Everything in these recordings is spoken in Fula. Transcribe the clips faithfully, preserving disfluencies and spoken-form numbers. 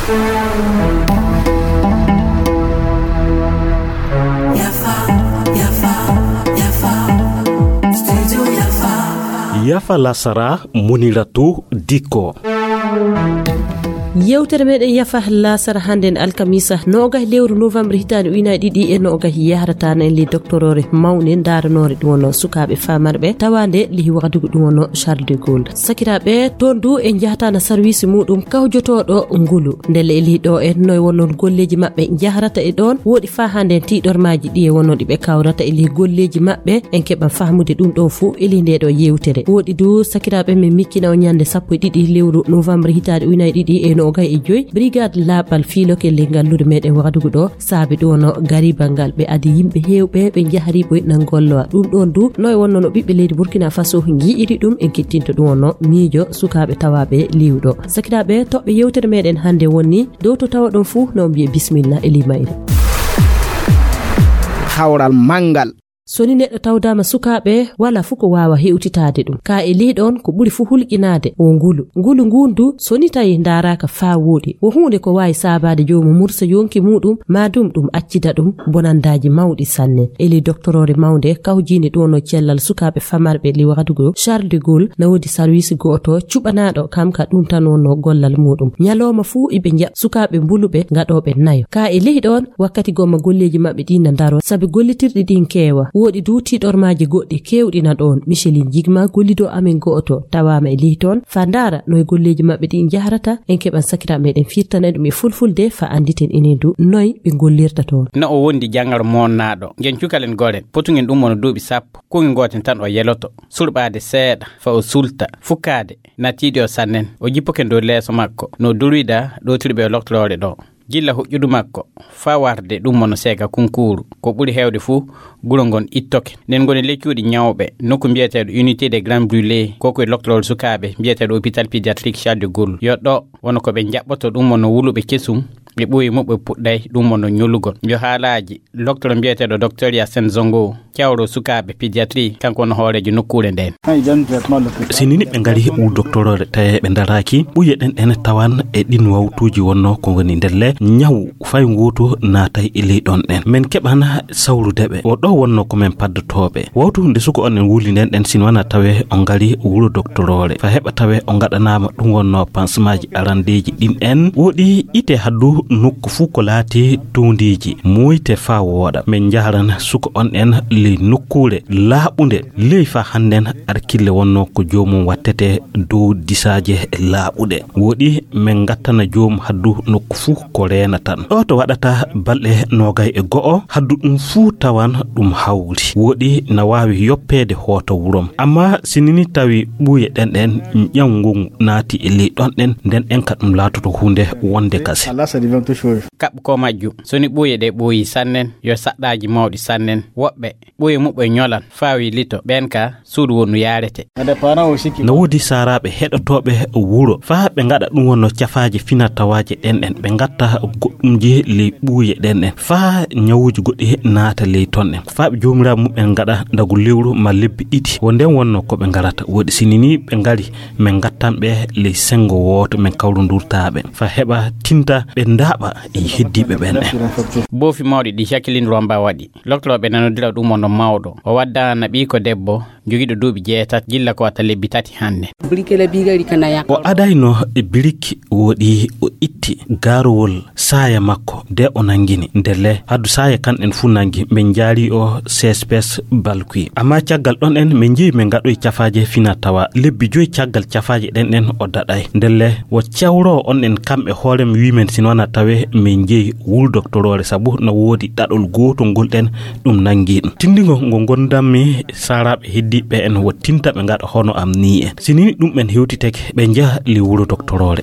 Yafa lasara, Muniratu Dikko. Yewtere meɗen Yafa lasara hannden alkamisa noogay lewru novembre hitaande ujunaaji ɗiɗi e noogay yahrata en li doktoroore mawnde ndaaranoore ɗum wonno sukaaɓe famarɓe tawaande li wahdugo ɗum wonno Charles de Gaulle. Sakiraaɓe, toon du en njahata na sarwiisi muɗum kawjotooɗo ngulu. Ndelle e li ɗo en noy wonnon golleeji maɓɓe njahrata e ɗoon, woɗi faa hannde en tiiɗormaaji ɗi e wonno ɗi ɓe kawrata e li golleeji maɓɓe, en keɓan fahmude ɗum ɗo fuu e li nde ɗo yewtere. Woɗi du sakiraaɓe men miccina o ñande sappo e ɗiɗi lewru novembre hitaande ujunaaji ɗiɗi e noogay e joy, brigade laaɓal fiiloke li ngallude meɗen wahdugo ɗo, saabe ɗum wonno garibangal ɓe adi yimɓe heewɓe ɓe njahri ɓoy nan gollowa. Ɗum ɗoon du noy wonno no ɓiɓɓe leydi Burkina Faso nji'iri ɗum en kettinto ɗum wonno miijo sukaaɓe tawaaɓe liwɗo. Sakiraaɓe, toɓɓe yewtere meɗen hannde wonni dow to tawa ɗon fuu no mbiye bismilla e li mayre. Hawral manngal. So ni neɗɗo tawdaama sukaaɓe, wala fuu ko waawa hewtitaade ɗum. Ka e ley ɗoon ko ɓuri fuu hulƴinaade wo ngulu. Ngulu nguun du, so ni tawi ndaaraaka faa wooɗi, wo huunde ko waawi saabaade joomum mursa yonki muuɗum, maa dum ɗum accida ɗum bonandaaji mawɗi sanne. E ley doktoroore mawnde kawjiinde ɗum wonno cellal sukaaɓe famarɓe li wahdugo Charles de Gaulle, na woodi sarwiisi gooto cuɓanaaɗo kam ka ɗum tan wonno gollal muuɗum. Ñalooma fuu iɓe njaɓ sukaaɓe mbuluɓe ngaɗooɓe nayo. Ka e ley ɗoon, wakkati gomma golleeji maɓɓe ɗin na ndaroo, sabi gollitirɗi ɗin keewa. Woɗi du tiiɗormaaji goɗɗi keewɗi na ɗoon. Micheline Jigma, gollido amen go'oto, tawaama e ley toon. Fa ndaara noy golleeji maɓɓe ɗin njahrata, en keɓan sakiraaɓe meɗen firtana ɗum e fulfulde, fa annditen enen du noy ɓe gollirta toon. No o wondi janngaro moonnaaɗo. Ngen cukalen goren, potugen ɗum wonno duuɓi sappo. Kuuge gooten tan o yeloto. Surɓaade seeɗa, fa o sulta. Fukkaade, na tiiɗi o sannen. O jippoke dow leeso makko. No durwida, ɗowtirɓe e loktoroore ɗo. Gilla huƴƴudu makko faa warde ɗum wonno seega kunkuuru. Ko ɓuri heewde fuu, guro ngon ittoke. Nden ngoni le cuuɗi ñawɓe, nokku mbiyeteeɗo Unité des Grands Brûlés, ko ko e loktoroore sukaaɓe mbiyeteeɗo hôpital pédiatrique Charles de Gaulle. Yo ɗo wonno ko ɓe njaɓɓoto ɗum wonno wuluɓe kesum, ɓe ɓooyi muɓɓe puɗɗay ɗum wonno ñolugol. Yo haalaaji loktoro mbiyeteeɗo docteur Yassine Zongo, cawro sukaaɓe pédiatrie, kanko woni hooreejo nokkuure nden. Sinini ɓe ngari u doktoroore tawi ɓe ndaraaki, ɓuye ɗen ɗen tawan e ɗin wawtuuji wonno ko ngoni ndelle ñaw fay nguutu naatay e ley ɗon ɗen. Men keɓana sawrude ɓe. O ɗo wonno ko men paddotooɓe. Wawtu nde suko on en wuli nden ɗen sin wana tawe o ngari wuro doktoroore. Fa heɓa tawe o ngaɗanaama ɗum wonno pansemaaji arandeeji ɗin en. Woɗi ite haddu nokku fuu ko laati towndiiji. Moyte faa wooɗa. Men njaharan suko on en ley nokkuure laaɓunde. Ley faa hannden arkille wonno ko joomum wattete dow disaaje laaɓuɗe. Woɗi men ngattana joom haddu nokku fuu ko reena tan. Ɗo to waɗata balɗe noogay e go'o, haddu ɗum fuu tawan ɗum hawri. Woɗi na waawi yoppeede hoota wurom. Amma sinini tawi ɓuuye ɗen ɗen ƴawngu naati e ley ɗon ɗen, nden ɗen ka ɗum laatoto huunde wonde kase. Kaɓɓu ko majju, so ni ɓuuye ɗe ɓooyi sannen, yo saɗɗaaji mawɗi sannen. Woɓɓe ɓuuye muɓɓe ñolan, faawi lito, ɓen ka suudu wonnu yaarete. Na woodi saaraaɓe heɗotooɓe wuro, faa ɓe ngaɗa ɗum wonno cafaaje finatawaaje ɗen ɗen, ɓe ngatta goɗɗumji ley ɓuuye ɗen ɗen, faa ñawuuji goɗɗi naata ley ton ɗen, faa ɓe joomiraaɓe muɓɓen ngaɗa ndagu lewru ma lebbi ɗiɗi. Wo nden wonno ko ɓe ngarata. Woodi sinini ɓe ngari, men ngattan ɓe ley senngo wooto, men kawrondurtaa ɓe, faa heɓa tinta ɓe ndaaɓa e heddiiɓe ɓen ɗen. Boofi mawɗi ɗi Jacqueline Romba waɗi. Loktorooɓe nanodira ɗum wonno mawɗo. O waddana ɓiiko debbo jogiiɗo duuɓi jeetati, gilla ko wata lebbi tati hannde. O adayno e birik woɗi o itti gaarowol saaya makko de o nangini. Ndelle haddu saaya kan en fuu nangi, men njaari o C S P S Balkui. Amma caggal ɗon en men njehi men ngaɗoy cafaaje fina tawa. Lebbi joyi caggal cafaaje ɗen ɗen o daɗay. Ndelle wo cawro on en kam e hoorem wi men sin wana tawe men njehi wul doktoroore sabu no woodi ɗaɗol gootol ngol ɗen ɗum nangi ɗum. Tindingo ngo gondammi saaraaɓe heddiiɓe en wo tinta ɓe ngaɗa hono am ni en. Si ni ɗum ɓen hewtitake ɓe njaha li wuro doktoroore.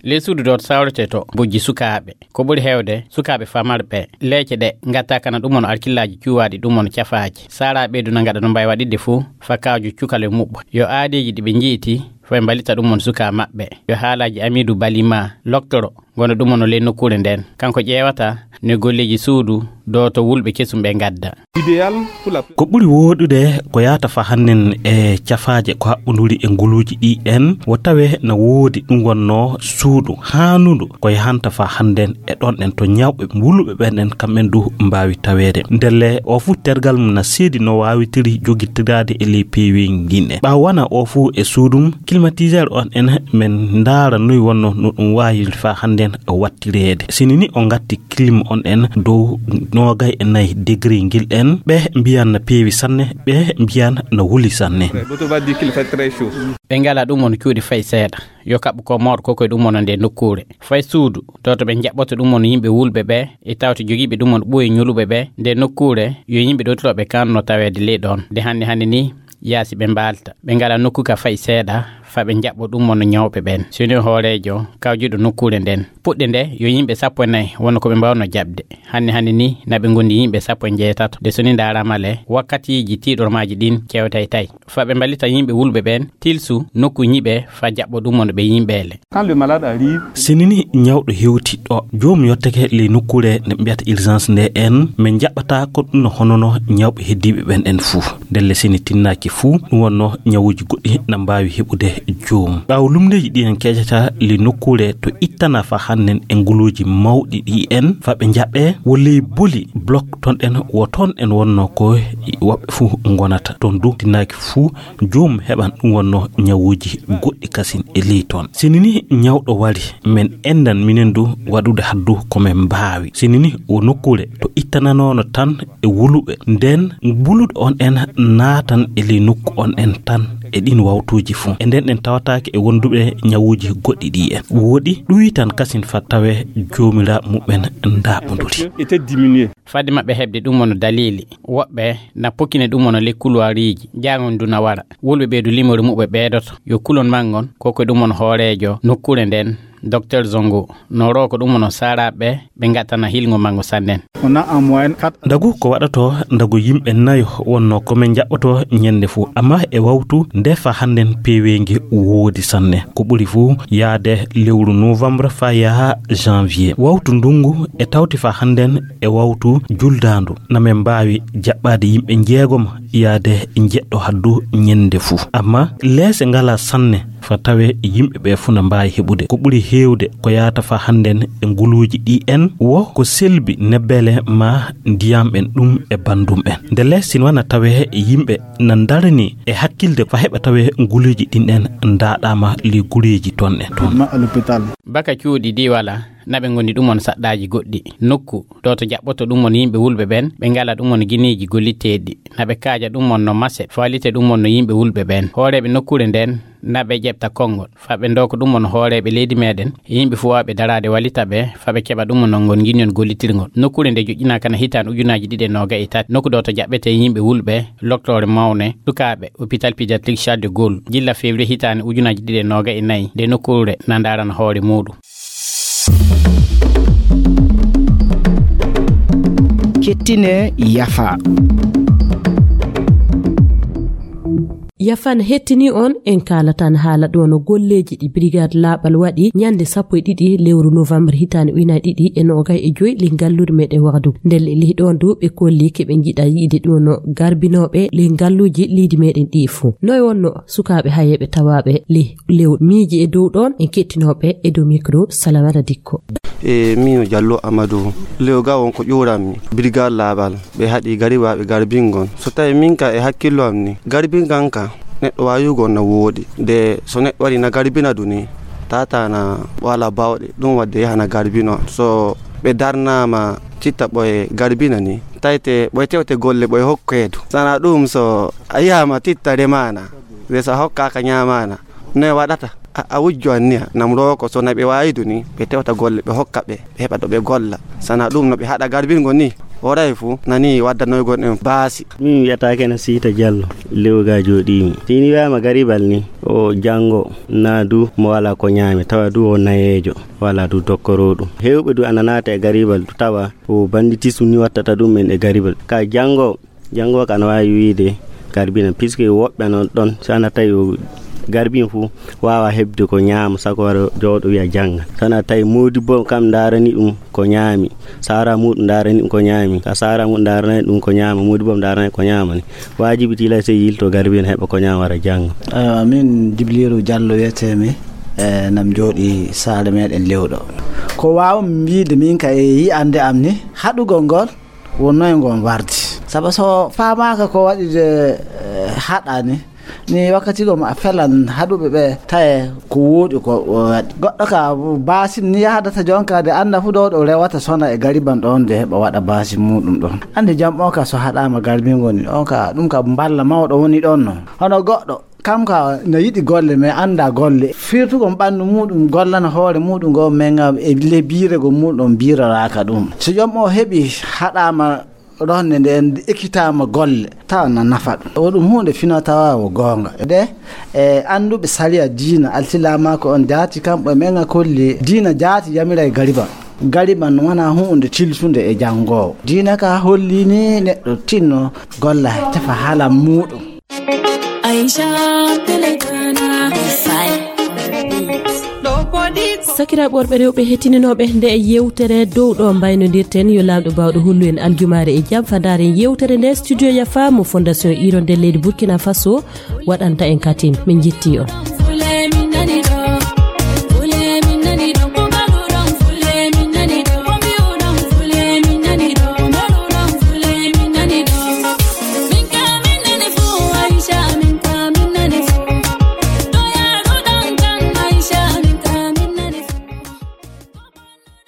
Ley suudu ɗo sawrete to bojji sukaaɓe. Ko ɓuri heewde sukaaɓe famarɓe leece ɗe ngatta kana ɗum won arkillaaji cuwaaɗi ɗum won cafaaji. Saaraaɓe ɓeydu na ngaɗa no mbawi waɗirde fuu fa kaaju cukale muɓɓo. Yo aadeeji ɗi ɓe njiyti fo ɓe mbalita ɗum won sukaa maɓɓe. Yo haalaaji Amiidu Balima loktoro ngono ɗum won ley nokkuure nden. Kanko ƴeewata no golleeji suudu do to wulɓe kesum ɓe ngadda. Idéal pour la Ko ɓuri wooɗude ko yahata fa hannden e cafaaje ko haɓɓonduri e nguluuji ɗi en, wo tawe na woodi ɗum wonnoo suudu haanundu ko yahanta fa hannden e ɗon ɗen to ñawɓe wuluɓe ɓen ɗen kamɓen du mbaawi taweede. Ndelle o fuu tergal mum na seedi no waawitiri jogitiraade e ley peeweeji ɗin ɗen. Ɓaawo wana o fuu e suudum, climatiseur on en men ndaara noy wonno no ɗum waawiri fa hannden wattireede. Sini ni o ngatti clim on en dow noogay e nayi degré ngil en, ɓe mbiyan na peewi sanne, ɓe mbiyan na wuli sanne. D'autres va dire qu'il fait très chaud. Ɓe ngala ɗum on cuuɗi fay seeɗa. Yo kaɓɓu ko moor ko koye ɗum on nde nokkuure. Fay suudu, to to ɓe jaɓɓoto ɗum on yimɓe wulɓe ɓe, e tawte jogiiɓe ɗum on ɓooyi ñuluɓe ɓe, nde nokkuure, yo yimɓe ɗo to ɓe kanno taweede ley ɗon. Nde hannde hannde ni, yaasi ɓe mbaalta. Ɓe ngala nokku ka fay seeɗa, fa ɓe jaɓɓo ɗum on ñawɓe ɓen. Sini hooreejo, kawjuɗo nokkuure nden. Puɗɗe nde, yo yimɓe sappo e nayi wonno ko ɓe mbawno jaɓde. Hannde hannde ni, na ɓe ngondi yimɓe sappo e njeetato. Nde soni ndaarama le, wakkatiiji tiiɗormaaji ɗin kewtay tay. Fa ɓe mballita yimɓe wulɓe ɓen, tilsu, nokku ñiɓe, fa jaɓɓo ɗum on ɓe yimɓe le. Quand le malade arrive, Sini ni ñawɗo hewti ɗo, joom yottake ley nokkuure nde mbiyata urgence nde en, min jaɓɓata ko ɗum no honono ñawɓe heddiiɓe ɓen en fuu. Ndelle sini tinnaaki fuu, ɗum wonno ñawuuji goɗɗi na mbaawi heɓude joom. Ɓaawo lumndeeji ɗi en keƴata ley nokkuure to ittana fa hannden e nguluuji mawɗi ɗi en, fa ɓe jaɓɓe, wo ley boli blok ton ɗen, wo ton en wonno ko woɓɓe fuu ngonata. Ton du tinnaaki fuu, joom heɓan ɗum wonno ñawuuji goɗɗi kasin e ley ton. Sini ni ñawɗo wari, men endan minen du waɗude haddu ko men mbaawi. Sini ni o nokkuure to ittananono tan e wuluɓe. Nden buluɗo on en naatan e ley nokku on en tan e ɗin wawtuuji fuu. E nden ɗen tawataake e wonduɓe ñawuuji goɗɗi ɗi en. Woɗi ɗuwitan kasin fa tawe joomiraaɓe muɓɓen ndaaɓonduri. Était diminué. Fadde maɓɓe heɓde ɗum wano daliili, woɓɓe na pokkine ɗum wano ley kuluwariiji, jaangon ndu na wara. Wulɓe ɓee du limori muɓɓe ɓeedoto. Yo kulon manngon, ko ko ɗum wano hooreejo nokkuure nden, Docteur Zongo, no roko ɗum wano saaraaɓe ɓe ngattana hilngo manngo sanne. On a en moyenne quatre. Ndagu ko waɗato, ndagu yimɓe nayo wonno ko men jaɓɓoto ñande fuu. Amma e wawtu nde fa hannden peeweengi woodi sanne. Ko ɓuri fuu yaade lewru novembre fa yaha janvier. Wawtu ndungu e tawti fa hannden e wawtu juldaandu, na men mbaawi jaɓɓaade yimɓe njeegom yaade njeɗɗo haddu ñande fuu. Amma leese ngala sanne fa tawe yimɓe ɓe fuu na mbaawi heɓude. Ko ɓuri heewde ko yaata fa hannden e nguluuji ɗi en wo ko selbi nebbele ma ndiyam en ɗum e banndum en. Ndele sino wana tawe yimɓe na ndarani e hakkilde fa heɓa tawe nguluuji ɗin en ndaaɗaama li gureeji ton en ton. Baka cuuɗi diwala, na ɓe ngoni ɗum on saɗɗaaji goɗɗi. Nokku ɗo to jaɓɓoto ɗum on yimɓe wulɓe ɓen, ɓe ngala ɗum on gineeji golliteeɗi. Na ɓe kaaja ɗum on no mase, faalite ɗum on no yimɓe wulɓe ɓen. Hooreeɓe nokkuure nden, na ɓe ƴeɓta konngol. Fa ɓe ndoko ɗum on hooreeɓe leydi meɗen, e yimɓe fuu waawɓe daraade walita ɓe, fa ɓe keɓa ɗum on ngon ngini on gollitirngol. Nokkuure nde joƴƴinaaka na hitaande ujunaaji ɗiɗi e noogayi e tati. Nokku ɗo to jaɓɓete yimɓe wulɓe, loktoore mawne, sukaaɓe, hôpital pédiatrique Charles de Gaulle. Gilla février hitaande ujunaaji ɗiɗi e noogayi e nayi, nde nokkuure na ndarana hoore muuɗum. Kettine yafa. Yafan hettini on, en kaalatan haala ɗo no golleeji ɗi Brigade Laaɓal waɗi ñande sappo e ɗiɗi lewru novembre hitaande ujunaaji ɗiɗi e noogay e joy ley ngalluure meɗen Wagadugu. Ndelle ley ɗon du ɓe kolli keɓe njiɗa yiide ɗum no garbinooɓe ley ngalluuji leydi meɗen ɗi fuu. Noy wonno sukaaɓe hayeeɓe tawaaɓe ley lewru? Miiji e dow ɗon en kettinooɓe e dow micro Salamata Dikko. E miino Jallo Amadou, lewga won ko ƴuuranmi. Brigade Laaɓal, ɓe haɗi gariwaaɓe garbingol. So tawi min ka e hakkillo am ni, garbingal ka, neɗɗo waawugol na wooɗi. De so neɗɗo waɗi na garbina du ni, tata na wala bawɗe, ɗum wadde yahana garbino. So ɓe darnaama titta ɓoye garbina ni, tawte ɓoye tewte golle ɓoye hokkeedu. Sana ɗum so a yahama titta remaana, de so a hokkaaka ñaamaana, noye waɗata? A, a wujjo anniya, nam roko so na ɓe waawi du ni, ɓe tewta golle, ɓe hokka ɓe, ɓe heɓa ɗo ɓe golla. Sana ɗum no ɓe haɗa garbingol ni, oray fu, nani waddanoygol en baasi. Min wiyata kene Siita Jallo, Lewga jooɗiimi. Si ni wiyama garibal ni, o janngo na du mo wala ko ñaami, tawa du o nayeejo, wala du dokkoro ɗum. Heewɓe du ana naata e garibal du, tawa ko banditisme ni wattata ɗum en e garibal. Ka janngo, janngo ka ana waawi wiyde garbina, puisque woɓɓe ana ɗon, so ana tawi o Garbiin fuu waawa heɓde ko ñaama, sako wara jooɗo wiya jannga. Sana tawi moodibbo kam ndaarani ɗum ko ñaami, saara muuɗum ndaarani ɗum ko ñaami, ka saara muuɗum ndaarani ɗum ko ñaama, moodibbo ndaarani ko ñaama ni. Waajibi tila sey yilto garbiin heɓa ko ñaama wara jannga. Amin Jibriiru Jallo wiyetee mi, e nam jooɗi saare meɗen Lewɗo. Ko waaw mi wiide min ka e yi'ande am ni, haɗugol ngol wonnoo e ngon wardi. Saba so faamaaka ko waɗi de, eh, haɗaani, ni wakkati gom a felan haɗuɓe ɓe taye ko wooɗi ko o waɗi. Goɗɗo ka baasin ni yahdata jonka de annda fu ɗo ɗo rewata sona e gariban ɗon de heɓa waɗa baasin muuɗum ɗon. Anndi jam o ka so haɗaama garbingo ni, on ka, ɗum ka mballa mawɗo woni ɗon no. Hono goɗɗo, kam ka na yiɗi golle, mais annda golle. Firtugol ɓanndu muuɗum, gollana hoore muuɗum ngo, men nga e le biire go muuɗum biiroraaka ɗum. So jom o heɓi haɗaama ronde nden, ekkitaama golle, tawa na nafa ɗum. O ɗum huunde fina tawa o goonga. De, e annduɓe sariya diina, alsilaamaaku on jaati, kamɓe men nga kolli diina jaati yamira e gariban. Gariban wona huunde tilsunde e janngoowo. Diina ka holli ni neɗɗo tinno golla tefa haala muuɗum. Aisha Pelekana. Sakiraaɓe worɓe rewɓe hettininooɓe nde yewtere dow ɗo mbaynodirten, yo Laamɗo baawɗo hollu en aljumaare e jam. Fadaare en yewtere nde, studio Yafa mo Fondation Hirondelle leydi Burkina Faso waɗanta en katin. Min njetti on.